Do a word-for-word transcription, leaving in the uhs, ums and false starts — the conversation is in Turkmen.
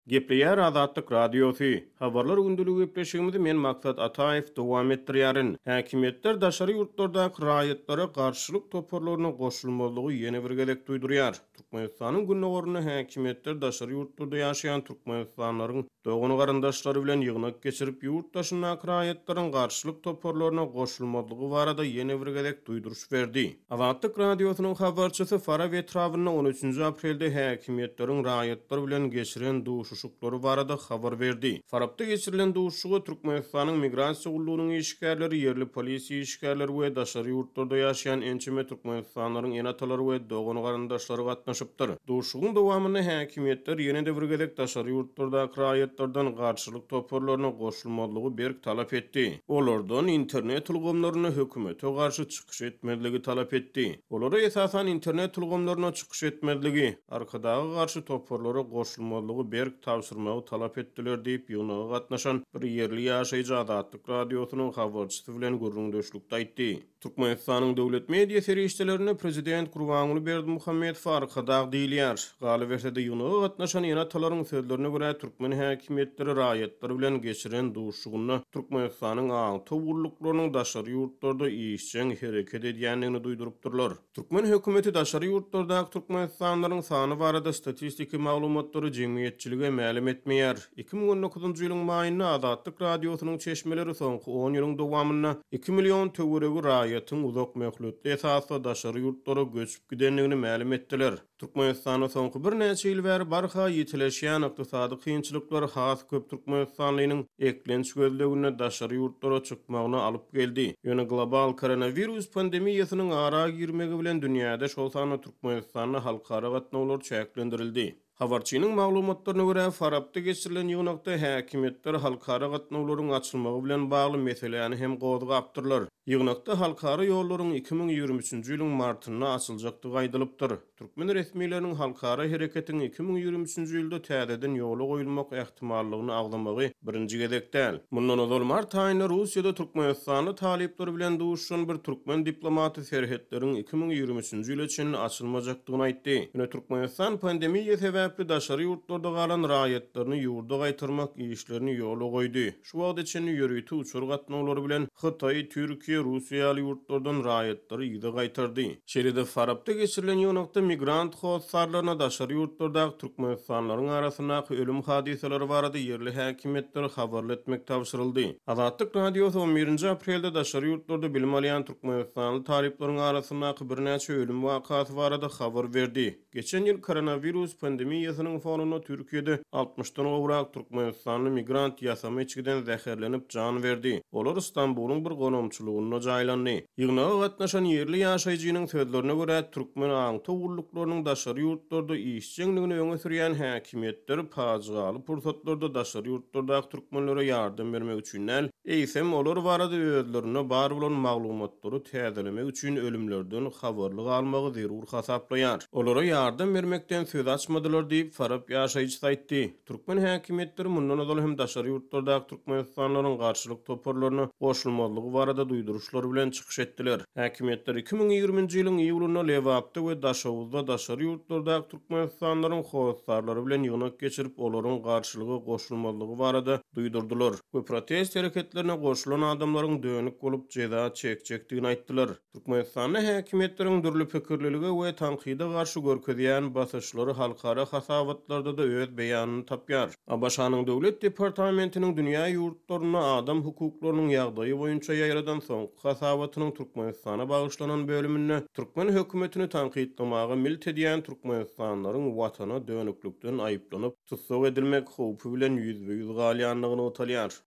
Gepleýär Azatlyk Radiosy. Habarlar gündeligi gepleşigimizi men Maksat Ataýew dowam etdirýärin. Häkimiýetler daşary ýurtlardaky raýatlara garşylyk toparlaryna goşulmazlygy ýene bir gezek duýdurýar. Türkmenistanyň gündogarynda häkimiýetler daşary ýurtlarda ýaşaýan türkmenistanlylaryň dogan-garyndaşlary bilen ýygnak geçirip, ýurt daşyndaky raýatlaryň garşylyk toparlaryna goşulmazlygy barada ýene bir gezek duýduryş berdi. Azatlyk Radiosynyň habarçysy Farap etrabynda on üçünji aprelde häkimiýetleriň raýatlar bilen geçiren duşuşyklary barada habar berdi. Farapda geçirilen duşuşyga Türkmenistanyň migrasiýa gullugynyň işgärleri, ýerli polisiýa işgärleri we daşary ýurtlarda ýaşaýan ençeme türkmenistanlylaryň ene-atalary we dogan-garyndaşlary gatnaşypdyr. Duşuşygyň dowamynda häkimiýetler ýene-de bir gezek daşary ýurtlardaky raýatlardan garşylyk toparlaryna goşulmazlygy berk talap etdi. Olardan internet ulgamlaryna hökümete garşy çykyş etmezligi talap etdi. Olara esasan internet ulgamlaryna çykyş etmezligi, Arkadaga garşy toparlara goşulmazlygy berk tabşyrmagy talap etdiler diýip ýygnaga gatnaşan bir ýerli ýaşaýjy Azatlyk Radiosynyň habarçysy bilen gürrüňdeşlikde aýtdy. Türkmenistanyň döwlet media serişdelerinde prezident Gurbanguly Berdimuhamedow Arkadag diýilýär. Galyberse-de ýygnaga gatnaşan ene-atalaryň sözlerine görä türkmen häkimiýetleri raýatlar bilen geçiren duşuşygynda Türkmenistanyň aňtaw gulluklarynyň daşary ýurtlarda işjeň hereket edýändigini duýdurypdyrlar. Türkmen hökümeti daşary ýurtlardaky türkmenistanlylaryň sany barada statistiki maglumatlary jemgyýetçilige mälim etmeýär. iki müň on dokuzynjy ýylyň maýynda Azatlyk Radiosynyň çeşmeleri soňky on ýylyň dowamynda iki million töweregi raýatyň uzak möhletli esasda daşary ýurtlara göçüp gidendigini mälim etdiler. Türkmenistanda soňky birnäçe ýyl bäri barha ýitileşýän ykdysady kynçylyklar has köp türkmenistanlynyň eklenç gözleginde daşary ýurtlara çykmagyna alyp geldi. Ýöne global koronawirus pandemiýasynyň ara girmegi bilen dünýäde şol sanda Türkmenistanda halkara gatnawlar çäklendirildi. Habarçynyň maglumatlaryna görä Farapda geçirilen ýygnakda häkimiýetler halkara gatnawlaryň açylmagy bilen bagly meseläni hem gozgapdyrlar. Ýygnakda halkara ýollaryň iki müň ýigrimi üçünji ýylyň martynda açyljakdygy aýdylypdyr. Türkmen resmileriniň halkara hereketiň iki müň ýigrimi üçünji ýylda täzeden ýola goýulmak ähtimallygyny agzamagy birinji gezek däl. Mundan ozal mart aýynda Russiýada Türkmenistanly talyplar bilen duşuşan bir türkmen diplomaty serhetleriň iki müň ýigrimi üçünji ýyla çenli açylmajakdygyny aýtdy. Ýöne Türkmenistan pandemiýa sebäpli daşary ýurtlarda galan raýatlaryny ýurda gaýtarmak işlerini ýola goýdy. Şu wagta çenli ýörite uçar gatnawlary bilen Hytaý, Türkiýe, Russiýa ýaly ýurtlardan raýatlary ýygy gaýtardy. Şeýle-de Farapda geçirilen ýygnakda migrant hossarlaryna daşary ýurtlardaky türkmenistanlylaryň arasyndaky ölüm hadysalary barada ýerli häkimiýetleri habarly etmek tabşyryldy. Azatlyk Radiosy on birinji aprelde daşary ýurtlarda bilim alýan türkmenistanly talyplaryň arasyndaky birnäçe ölüm wakasy barada habar berdi. Geçen ýyl koronawirus pandemiýasynyň fonunda Türkiýede altmyşdan gowrak türkmenistanly migrant ýasama içgiden zäherlenip jan berdi. Olar Istanbulyň bir gonamçylygynda jaýlandy. Ýygnaga gatnaşan ýerli ýaşaýjynyň sözlerine görä türkmen aňtaw gulluklarynyň daşary ýurtlarda işjeňligini öňe sürýän häkimiýetler pajygaly pursatlarda daşary ýurtlardaky türkmenlere ýardam bermek üçin däl, eýsem olar barada özlerinde bar bolan maglumatlary täzelemek üçin ölümlerden habarly galmagy zerur hasaplaýar. Olara ýardam bermekden söz açmadylar diýip Farap ýaşaýjysy aýtdy. Türkmen häkimiýetleri mundan ozal hem daşary ýurtlardaky türkmenistanlylaryň garşylyk toparlaryna goşulmazlygy barada duýduryşlar bilen çykyş etdiler. Häkimiýetler iki müň ýigriminji ýylyň iýulynda Lebapda we Daşoguzda daşary ýurtlardaky türkmenistanlylaryň hossarlary bilen ýygnak geçirip, olaryň garşylyga goşulmazlygy barada duýdurdylar we protest hereketlerine goşulan adamlaryň dönük bolup jeza çekjekdigini aýtdylar. Türkmenistanda häkimiýetleriň dürli pikirlilige we tankyda garşy görkezýän basyşlary halkara hasabatlarda da öz beýanyny tapýar. ABŞ-nyň Döwlet departamentiniň dünýä ýurtlarynda adam hukuklarynyň ýagdaýy boýunça ýaýradan soňky hasabatynyň Türkmenistana bagyşlanan bölüminde türkmen hökümetini tankytlamaga milt edýän türkmenistanlylaryň watana dönüklikden aýyplanyp tussag edilmek howpy bilen ýüzbe-ýüz galýandygyny nygtalýar.